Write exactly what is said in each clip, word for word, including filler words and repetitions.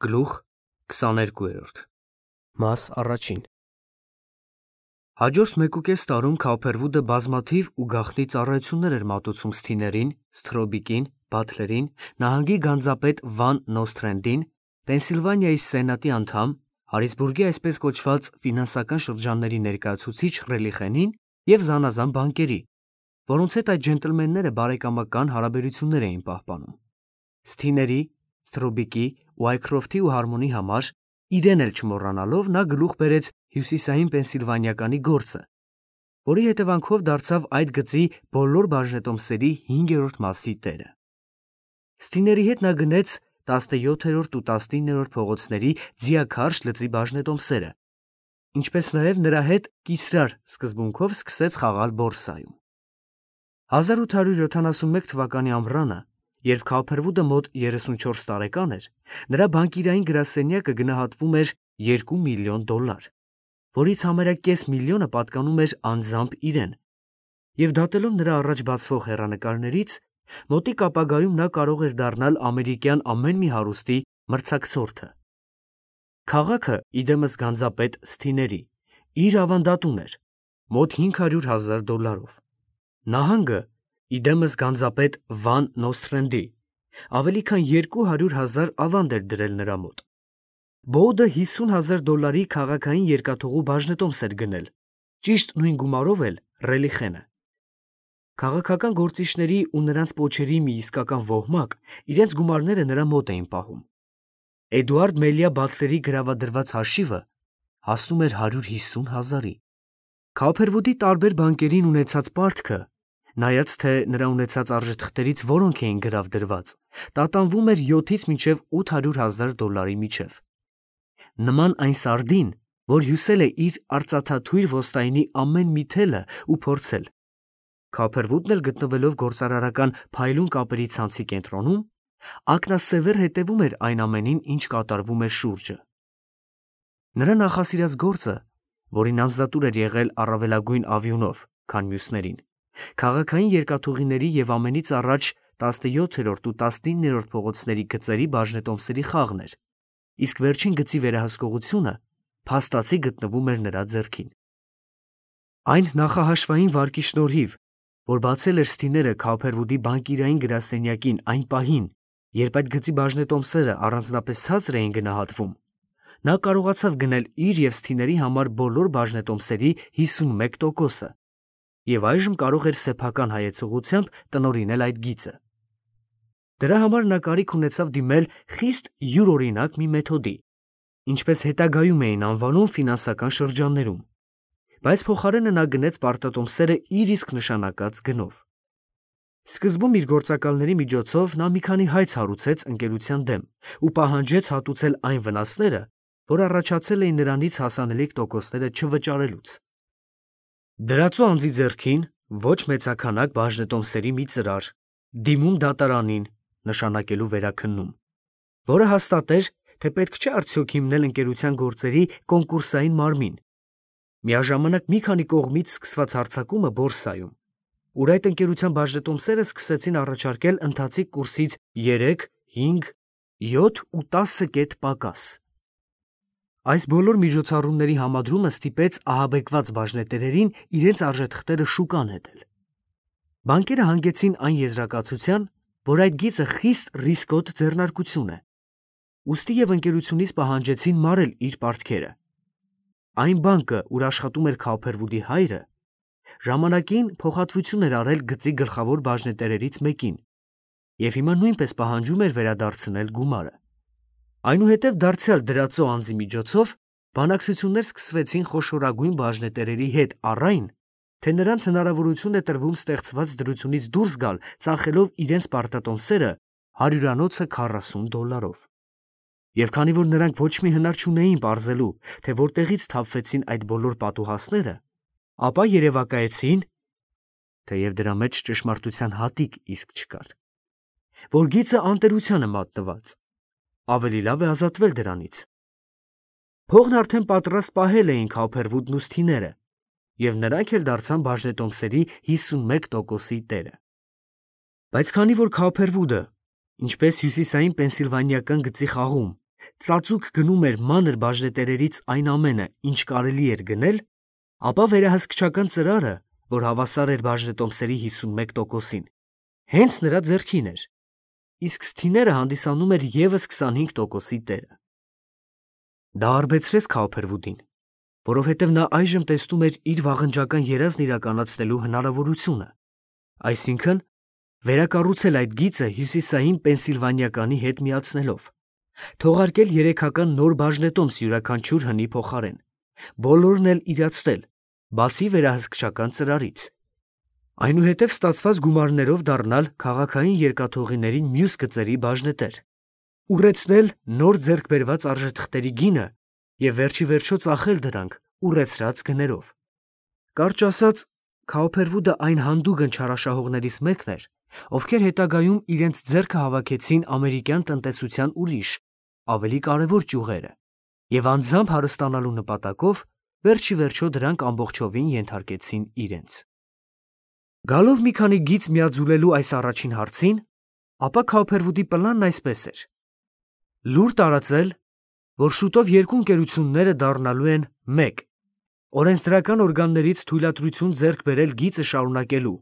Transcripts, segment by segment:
Գլուխ քսաներկու Մաս առաջին Հաջորդ մեկուկես տարում Քոփերվուդը բազմաթիվ ու գաղտնի ծառայություններ էր մատուցում Սթիներին, Սթրոբիկին, Բաթլերին, նահանգի գանձապետ Վան Նոսթրենդին, Պենսիլվանիայի սենատի անդամ, Հարիսբուրգի այսպես կոչված ֆինանսական շրջանների ներկայացուցիչ Ռելիխենին և զանազան բանկերի, որոնց հետ այդ ջենտլմենները բարեկամական հարաբերություններ էին պահպանում։ Սթիների, Սթրոբիկի, Ուայքրոֆթի ու Հարմոնի համար, իրեն էլ չմոռանալով, նա գլուխ բերեց հյուսիսային Պենսիլվանիականի գործը, որի հետևանքով դարձավ այդ գծի բոլոր բաժնետոմսերի հինգերորդ մասի տերը։ Սթիների հետ նա գնեց տասնյոթերորդ ու տասնիններորդ փողոցների ձիաքարշ լծի բաժնետոմսերը, ինչպես նաև նրա հետ կիսրար սկզբունքով սկսեց խաղալ բորսայում։ հազար ութ հարյուր յոթանասունմեկ թվականի ամռանը, երբ Քոփերվուդը մոտ երեսունչորս տարեկան էր, նրա բանկիրային գրասենյակը գնահատվում էր երկու միլիոն դոլար, որից համարյա կես միլիոնը պատկանում էր անձամբ իրեն, և դատելով նրա առաջ բացվող հեռանկարներից, մոտիկ ապագայում նա կարող էր դառնալ ամերիկյան ամեն մի հարուստի մրցակցորդը։ Քաղաքը, իդեմս գանձապետ Սթիների, իր ավանդատուն էր, մոտ հինգ հարյուր հազար դոլարով։ Նահանգը, իդեմս գանձապետ Վան Նոսթրենդի, ավելի քան երկու հարյուր հազար ավանդ էր դրել նրա մոտ։ Բոուդը հիսուն հազար դոլարի քաղաքային երկաթուղու բաժնետոմս էր գնել, ճիշտ նույն գումարով էլ Ռելիխենը։ Քաղաքական գործիչների ու նրանց պոչերի մի իսկական ոհմակ իրենց գումարները նրա մոտ էին պահում։ Էդուարդ Մելիա Բաթլերի գրավադրված հաշիվը հասնում էր հարյուր հիսուն հազարի։ Քոփերվուդի տարբեր բանկերին ունեցած պարտքը, նայած թե նրա ունեցած արժեթղթերից որոնք էին գրավդրված, տատանվում էր յոթից մինչև ութ հարյուր հազար դոլարի միջև։ Նման այն սարդին, որ հյուսել է իր արծաթաթույր ոստայնի ամեն մի թելը ու փորձել։ Քոփերվուդն էլ գտնվելով գործարարական փայլուն կապերի ցանցի կենտրոնում, ակնասևեռ հետևում էր այն ամենին, ինչ կատարվում էր շուրջը։ Նրա նախասիրած գործը, որին անձնատուր էր եղել առավելագույն ավյունով, քան մյուսներին, քաղաքային երկաթուղիների և ամենից առաջ տասնյոթերորդ ու տասնիններորդ փողոցների գծերի բաժնետոմսերի խաղն էր, իսկ վերջին գծի վերահսկողությունը փաստացի գտնվում էր նրա ձեռքին։ Այն նախահաշվային վարկի շնորհիվ, որ բացել էր Սթիները Քոփերվուդի բանկիրային գրասենյակին այն պահին, երբ այդ գծի բաժնետոմսերը առանձնապես ցածր էին գնահատվում, նա կարողացավ գնել իր և Սթիների համար բոլոր բաժնետոմսերի հիսունմեկ տոկոսը և այժմ կարող էր սեփական հայեցողությամբ տնօրինել այդ գիծը։ Դրա համար նա կարիք ունեցավ դիմել խիստ յուրօրինակ մի մեթոդի, ինչպես հետագայում էին անվանում ֆինանսական շրջաններում, բայց փոխարենը նա գնեց պարտատոմսերը իր իսկ նշանակած գնով։ Սկզբում իր գործակալների միջոցով նա մի քանի հայց հարուցեց ընկերության դեմ ու պահանջեց հատուցել այն վնասները, որ առաջացել էին նրանից հասանելիք տոկոսները չվճարելուց։ Դրածո անձի ձեռքին ոչ մեծաքանակ բաժնետոմսերի մի ծրար, դիմում դատարանին նշանակելու վերաքննում, որը հաստատեր, թե պետք չէ արդյոք հիմնել ընկերության գործերի կոնկուրսային մարմին, միաժամանակ մի քանի կողմից սկսված հարձակումը բորսայում, ուր այդ ընկերության բաժնետոմսերը սկսեցին առաջարկել ընթացիկ կուրսից երեք, հինգ, յոթ ու տասը կետ պակաս։ Այս բոլոր միջոցառումների համադրումը ստիպեց ահաբեկված բաժնետերերին իրենց արժեթղթերը շուկա նետել։ Բանկերը հանգեցին այն եզրակացության, որ այդ գիծը խիստ ռիսկոտ ձեռնարկություն է, ուստի և ընկերությունից պահանջեցին մարել իր պարտքերը։ Այն բանկը, ուր աշխատում էր Քոփերվուդի հայրը, ժամանակին փոխհատվություն էր արել գծի գլխավոր բաժնետերերից մեկին և հիմա նույնպես պահանջում էր վերադարձնել գումարը։ Այնուհետև դարձյալ դրածո անձի միջոցով բանակցություններ սկսվեցին խոշորագույն բաժնետերերի հետ առ այն, թե նրանց հնարավորություն է տրվում ստեղծված դրությունից դուրս գալ ծախելով իրենց պարտատոմսերը հարյուրանոցը քառասուն դոլարով։ Եվ քանի որ նրանք ոչ մի հնար չունեին պարզելու, թե որտեղից թափվեցին այդ բոլոր պատուհասները, ապա երևակայեցին, թեև դրա մեջ ճշմարտության հատիկ իսկ չկար, որ գիծը անտերության է մատնված, ավելի լավ է ազատվել դրանից։ Փողն արդեն պատրաստ պահել էին Քոփերվուդն ու Սթիները, և նրանք էլ դարձան բաժնետոմսերի հիսունմեկ տոկոսի տերը։ Բայց քանի որ Քոփերվուդը, ինչպես հյուսիսային Պենսիլվանիական գծի խաղում, ծածուկ գնում էր մանր բաժնետերերից այն ամենը, ինչ կարելի էր գնել, ապա վերահսկչական ծրարը, որ հավասար էր բաժնետոմսերի հիսունմեկ տոկոսին, հենց նրա ձեռքին էր, իսկ սթիները հանդիսանում էր ևս քսանհինգ տոկոսի տերը։ Դա արբեցրեց Քաուփերվուդին, որովհետև նա այժմ տեսնում էր իր վաղնջական երազն իրականացնելու հնարավորությունը, այսինքն վերակառուցել այդ գիծը հյուսիսային Պենսիլվանիականի հետ միացնելով, թողարկել երեքական նոր բաժնետոմս յուրաքանչյուր հնի փոխարեն, բոլորն էլ իրացնել, բացի վերահսկչական ծրարից, այնուհետև ստացված գումարներով դառնալ քաղաքային երկաթուղիների մյուս գծերի բաժնետեր, ուռեցնել նոր ձեռք բերված արժեթղթերի գինը և վերջի վերջո ծախել դրանք ուռեցրած գներով։ Կարճ ասած, Քաուփերվուդը այն հանդուգն չարաշահողներից մեկն էր, ովքեր հետագայում իրենց ձեռքը հավաքեցին ամերիկյան տնտեսության ուրիշ, ավելի կարևոր ճյուղերը և անձամբ հարստանալու նպատակով վերջի վերջո դրանք ամբողջովին ենթարկեցին իրենց։ Գալով մի քանի գիծ միաձուլելու այս առաջին հարցին, ապա Քաուփերվուդի պլանն այսպես էր. լուր տարածել, որ շուտով երկու ընկերությունները դառնալու են մեկ, օրենսդրական օրգաններից թույլատրություն ձեռք բերել գիծը շարունակելու,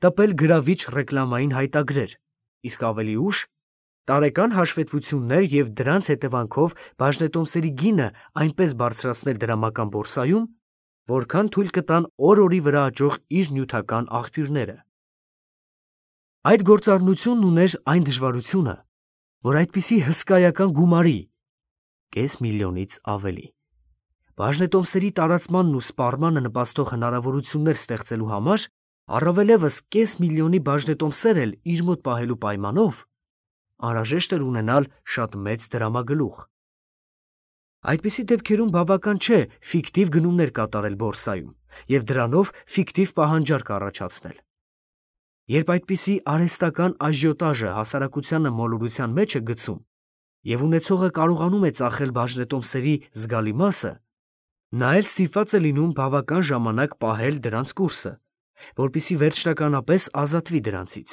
տպել գրավիչ ռեկլամային հայտագրեր, իսկ ավելի ուշ տարեկան հաշվետվություններ և դրանց հետևանքով բաժնետոմսերի գինը այնպես բարձրացնել դրամական բորսայում, որքան թույլ կտան օր-օրի վրա աճող իր նյութական աղբյուրները։ Այդ գործառնությունն ուներ այն դժվարությունը, որ այդպիսի հսկայական գումարի կես միլիոնից ավելի բաժնետոմսերի տարածմանն ու սպառմանը նպաստող հնարավորություններ ստեղծելու համար, առավելևս կես միլիոնի բաժնետոմսեր էլ իր մոտ պահելու պայմանով, անհրաժեշտ էր ունենալ շատ մեծ դրամագլուխ։ Այդպիսի դեպքերում բավական չէ ֆիկտիվ գնումներ կատարել բորսայում և դրանով ֆիկտիվ պահանջարկ առաջացնել։ Երբ այդպիսի արհեստական աժիոտաժը հասարակությանը մոլորության մեջ է գցում և ունեցողը կարողանում է ծախել բաժնետոմսերի զգալի մասը, նա էլ ստիպված է լինում բավական ժամանակ պահել դրանց կուրսը, որպեսզի վերջնականապես ազատվի դրանցից։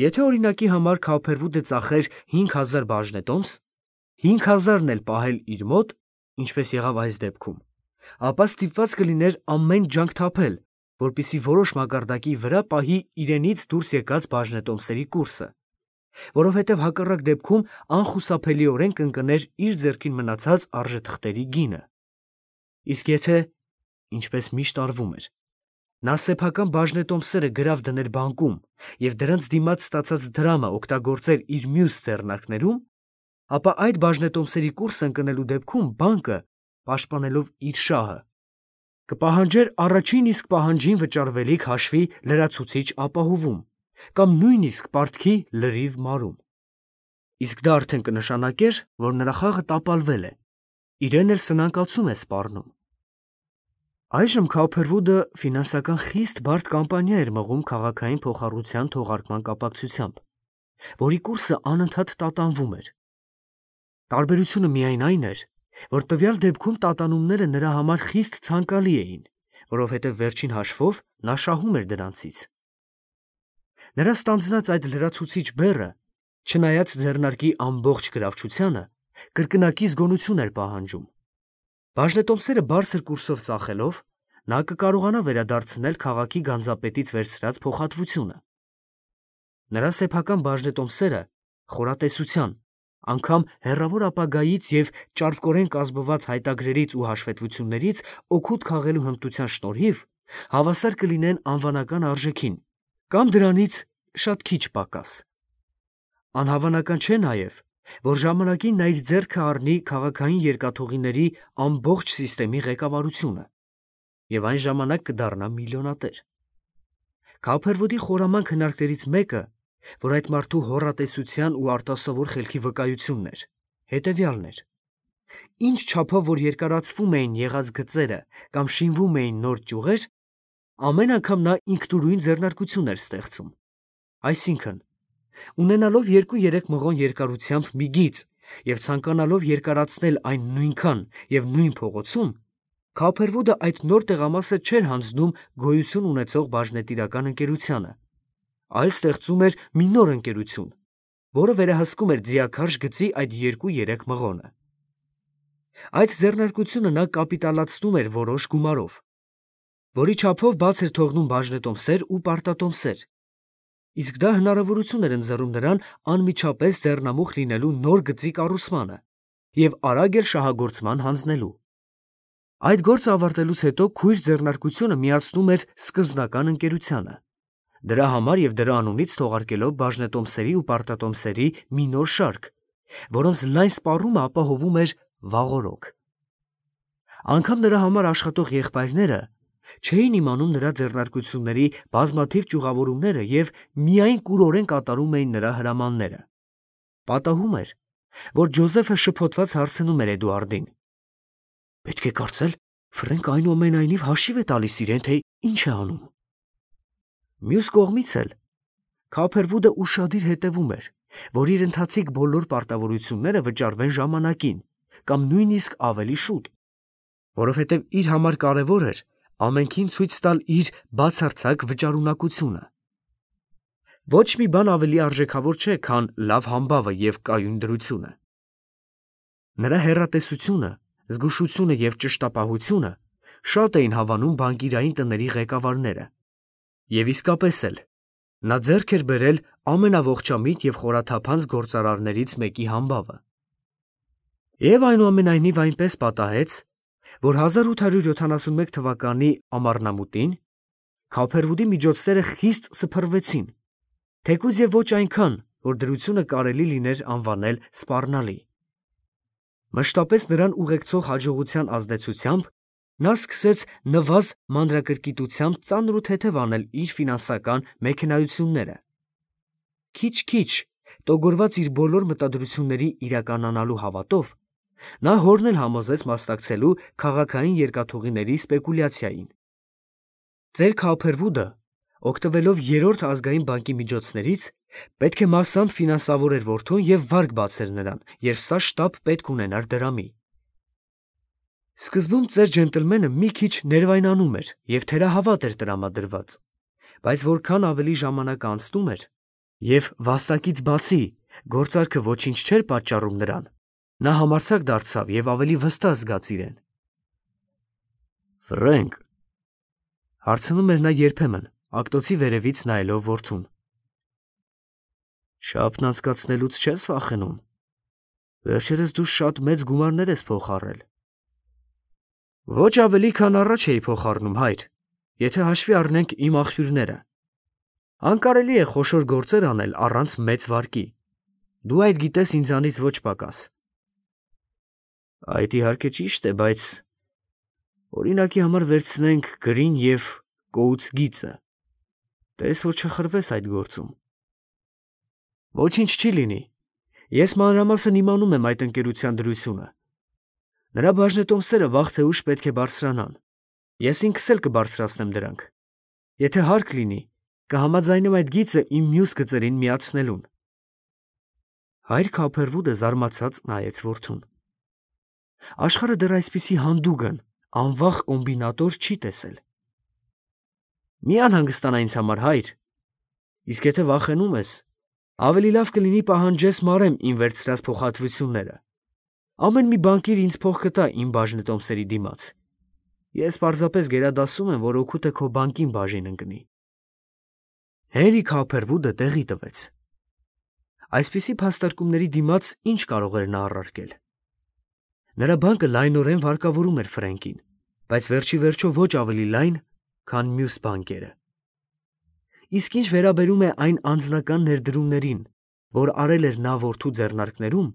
Եթե օրինակի համար Քաուփերվուդը ծախեր հինգ հազար բաժնետոմս, հինգ հազարն էլ պահել իր մոտ, ինչպես եղավ այս դեպքում, ապա ստիպված կլիներ ամեն ջանք թափել, որպեսզի որոշ մակարդակի վրա պահի իրենից դուրս եկած բաժնետոմսերի կուրսը, որովհետև հակառակ դեպքում անխուսափելիորեն կընկներ իր ձեռքին մնացած արժեթղթերի գինը։ Իսկ եթե, ինչպես միշտ արվում էր, նա սեփական բաժնետոմսերը գրավ դներ բանկում և դրանց դիմաց ստացած դրամը օգտագործեր իր մյուս ձեռնարկներում, ապա այդ բաժնետոմսերի կուրսը ընկնելու դեպքում բանկը, պաշտպանելով իր շահը, կպահանջեր առաջին իսկ պահանջին վճարվելիք հաշվի լրացուցիչ ապահովում կամ նույնիսկ պարտքի լրիվ մարում։ Իսկ դա արդեն կնշանակեր, որ նրա խաղը տապալվել է, իրեն էլ սնանկացում է սպառնում։ Այժմ Քաուփերվուդը ֆինանսական խիստ բարդ կամպանիա էր մղում քաղաքային փոխառության թողարկման կապակցությամբ, որի կուրսը անընդհատ տատանվում էր։ Տարբերությունը միայն այն էր, որ տվյալ դեպքում տատանումները նրա համար խիստ ցանկալի էին, որովհետև վերջին հաշվով նա շահում էր դրանցից։ Նրա ստանձնած այդ լրացուցիչ բեռը, չնայած ձեռնարկի ամբողջ գրավչությանը, կրկնակի զգոնություն էր պահանջում։ Բաժնետոմսերը բարձր կուրսով ծախելով, նա կկարողանա վերադարձնել քաղաքի գանձապետից վերցրած փոխհատվությունը։ Նրա սեփական բաժնետոմսերը խորատեսության, անգամ հեռավոր ապագայից և ճարպկորեն կազմված հայտագրերից ու հաշվետվություններից օգուտ քաղելու հմտության շնորհիվ հավասար կլինեն անվանական արժեքին կամ դրանից շատ քիչ պակաս։ Անհավանական չէ նաև, որ ժամանակին նա իր ձեռքը առնի քաղաքային երկաթուղիների ամբողջ սիստեմի ղեկավարությունը և այն ժամանակ կդառնա միլիոնատեր։ Քաուփերվուդի խորամանկ հնարքներից մեկը, որ այդ մարդու հոռատեսության ու արտասովոր խելքի վկայությունն էր, հետևյալն էր. ինչ չափով որ երկարացվում էին եղած գծերը կամ շինվում էին նոր ճյուղեր, ամեն անգամ նա ինքնուրույն ձեռնարկություն էր ստեղծում։ Այսինքն, ունենալով երկու-երեք մղոն երկարությամբ մի գիծ և ցանկանալով երկարացնել այն նույնքան և նույն փողոցում, Քաուփերվուդը այդ նոր տեղամասը չէր հանձնում գոյություն ունեցող բաժնետիրական ընկերությանը, այլ ստեղծում էր մի նոր ընկերություն, որը վերահսկում էր ձիաքարշ գծի այդ երկու-երեք մղոնը։ Այդ ձեռնարկությունը նա կապիտալացնում էր որոշ գումարով, որի չափով բաց էր թողնում բաժնետոմսեր ու պարտատոմսեր, իսկ դա հնարավորություն էր ընձեռում նրան անմիջապես ձեռնամուխ լինելու նոր գծի կառուցմանը և արագ էլ շահագործման հանձնելու։ Այդ գործը ավարտելուց հետո քույր ձեռնարկությունը միացնում էր սկզբնական ընկերությանը, դրա համար և դրա անունից թողարկելով բաժնետոմսերի ու պարտատոմսերի մի նոր շարք, որոնց լայն սպառումը ապահովում էր վաղօրոք։ Անգամ նրա համար աշխատող եղբայրները չէին իմանում նրա ձեռնարկությունների բազմաթիվ ճյուղավորումները և միայն կուրորեն կատարում էին նրա հրամանները։ Պատահում էր, որ Ջոզեֆը շփոթված հարցնում էր Էդուարդին. «Պետք է կարծել, Ֆրենկը այնուամենայնիվ հաշիվ է տալիս իրեն, թե ինչ է անում»։ Մյուս կողմից էլ Քոփերվուդը ուշադիր հետևում էր, որ իր ընթացիկ բոլոր պարտավորությունները վճարվեն ժամանակին կամ նույնիսկ ավելի շուտ, որովհետև իր համար կարևոր էր ամենքին ցույց տալ իր բացարձակ վճարունակությունը։ Ոչ մի բան ավելի արժեքավոր չէ, քան լավ համբավը և կայուն դրությունը։ Նրա հեռատեսությունը, զգուշությունը և ճշտապահությունը շատ էին հավանում բանկիրային տների ղեկավարները, և իսկապես էլ նա ձեռք էր բերել ամենաողջամիտ և խորաթափանց գործարարներից մեկի համբավը։ Եվ այնուամենայնիվ այնպես պատահեց, որ հազար ութ հարյուր յոթանասունմեկ թվականի ամառնամուտին Քոփերվուդի միջոցները խիստ սփռվեցին, թեկուզ և ոչ այնքան, որ դրությունը կարելի լիներ անվանել սպառնալի։ Մշտապես նրան ուղեկցող հաջողության ազդեցությամբ նա սկսեց նվազ մանրակրկիտությամբ ծանր ու թեթև անել իր ֆինանսական մեքենայությունները։ Քիչ-քիչ, տոգորված իր բոլոր մտադրությունների իրականանալու հավատով, նա հորն էլ համոզեց մասնակցելու քաղաքային երկաթուղիների սպեկուլյացիային։ Ծեր Քոփերվուդը, օգտվելով Երրորդ ազգային բանկի միջոցներից, պետք է մասամբ ֆինանսավորեր որդուն և վարկ բացեր նրան, երբ սա շտապ պետք ունենար դրամի։ Սկզբում ծեր ջենտլմենը մի քիչ ներվայնանում էր և թերահավատ էր տրամադրված, բայց որքան ավելի ժամանակը անցնում էր, և վաստակից բացի գործարքը ոչինչ չէր պատճառում նրան, նա համարձակ դարձավ և ավելի վստահ զգաց իրեն։ «Ֆրենք», հարցնում էր նա երբեմն, ակտոցի վերևից նայելով որդուն, «չափն անցկացնելուց չե՞ս վախենում։ Վերջերս դու շատ մեծ գումարներ ես փոխառել»։ «Ոչ ավելի, քան առաջ էի փոխառնում, հայր, եթե հաշվի առնենք իմ աղբյուրները։ Անկարելի է խոշոր գործեր անել առանց մեծ վարկի, դու այդ գիտես ինձանից ոչ պակաս»։ «Այդ իհարկե ճիշտ է, բայց օրինակի համար վերցնենք գրին և կոուց գիծը, տես որ չխրվես այդ գործում»։ «Ոչինչ չի լինի, ես մանրամասն իմանում եմ այդ ընկերության դրությունը։ Նրա բաժնետոմսերը վաղ թե ուշ պետք է բարձրանան, ես ինքս էլ կբարձրացնեմ դրանք։ Եթե հարկ լինի, կհամաձայնեմ այդ գիծը իմ մյուս գծերին միացնելուն»։ Հայր Քոփերվուդը զարմացած նայեց որդուն։ Աշխարհը դեռ այսպիսի հանդուգն, անվախ կոմբինատոր չի տեսել։ «Մի անհանգստանա ինձ համար, հայր, իսկ եթե վախենում ես, ավելի լավ կլինի պահանջես մարեմ իմ վերցրած փոխհատվությունները։ Ամեն մի բանկիր ինձ փող կտա իմ բաժնետոմսերի դիմաց։ Ես պարզապես գերադասում եմ, որ օգուտը քո բանկին բաժին ընկնի»։ Հենրի Քոփերվուդը տեղի տվեց։ Այսպիսի փաստարկումների դիմաց ինչ կարող էր նա առարկել։ Նրա բանկը լայնորեն վարկավորում էր Ֆրենկին, բայց վերջի վերջո ոչ ավելի լայն, քան մյուս բանկերը։ Իսկ ինչ վերաբերում է այն անձնական ներդրումներին, որ արել էր նա որդու ձեռնարկներում,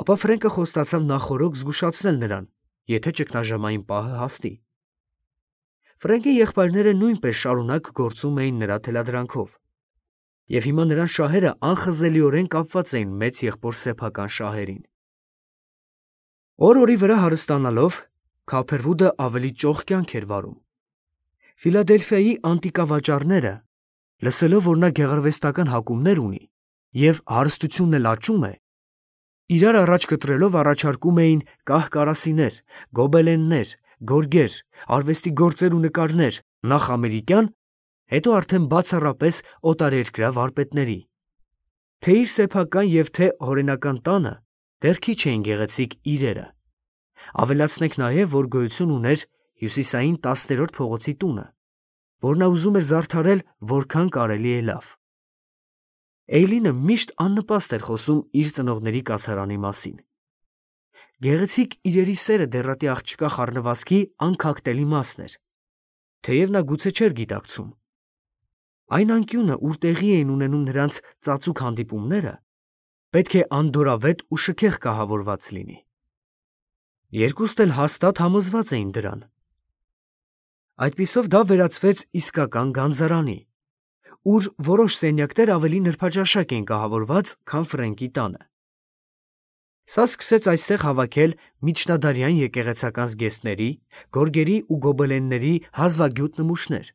ապա Ֆրենկը խոստացավ նախօրոք զգուշացնել նրան, եթե ճգնաժամային պահը հասնի։ Ֆրենկի եղբայրները նույնպես շարունակ գործում էին նրա թելադրանքով, և հիմա նրան շահերը անխզելիորեն կապված էին մեծ եղբոր սեփական շահերին։ Օր-օրի վրա հարստանալով, Քոփերվուդը ավելի ճոխ կյանք էր վարում։ Ֆիլադելֆիայի անտիկավաճառները, լսելով, որ նա գեղարվեստական հակումներ ունի և հարստությունն էլ աճում է, իրար առաջ կտրելով առաջարկում էին կահ֊կարասիներ, գոբելեններ, գորգեր, արվեստի գործեր ու նկարներ նախ ամերիկյան, հետո արդեն բացառապես օտարերկրյա վարպետների։ Թե իր սեփական և թե հորենական տանը դեռ քիչ էին գեղեցիկ իրերը։ Ավելացնենք նաև, որ գոյություն ուներ հյուսիսային տասներորդ փողոցի տունը, որ նա ուզում էր զարդարել որքան կարելի է լավ։ Էյլինը միշտ աննպաստ էր խոսում իր ծնողների կացարանի մասին։ Գեղեցիկ իրերի սերը դեռատի աղջկա խառնվածքի անքակտելի մասն էր, թեև նա գուցե չէր գիտակցում։ Այն անկյունը, ուր տեղի էին ունենում նրանց ծածուկ հանդիպումները, պետք է անդորրավետ ու շքեղ կահավորված լինի։ Երկուստ էլ հաստատ համոզված էին դրան։ Այդպիսով դա վերածվեց իսկական գանձարանի, ուր որոշ սենյակներ ավելի նրբաճաշակ էին կահավորված, քան Ֆրենկի տանը։ Սա սկսեց այստեղ հավաքել միջնադարյան եկեղեցական զգեստների, գորգերի ու գոբելենների հազվագյուտ նմուշներ։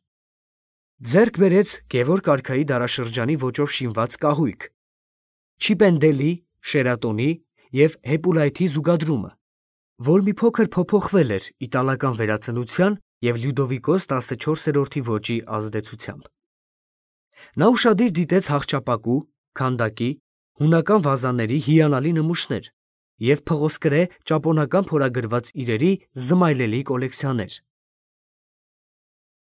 Ձեռք բերեց Գևորգ արքայի դարաշրջանի ոճով շինված կահույք, Չիպենդելի, Շերատոնի և Հեպուլայթի զուգադրումը, որ մի փոքր փոփոխվել էր իտալական վերածնության և Լյուդովիկոս տասնչորսերորդի ոճի ազդեցությամբ։ Նա ուշադիր դիտեց հախճապակու, քանդակի, հունական վազաների հիանալի նմուշներ և փղոսկրե ճապոնական փորագրված իրերի զմայլելի կոլեկցիաներ։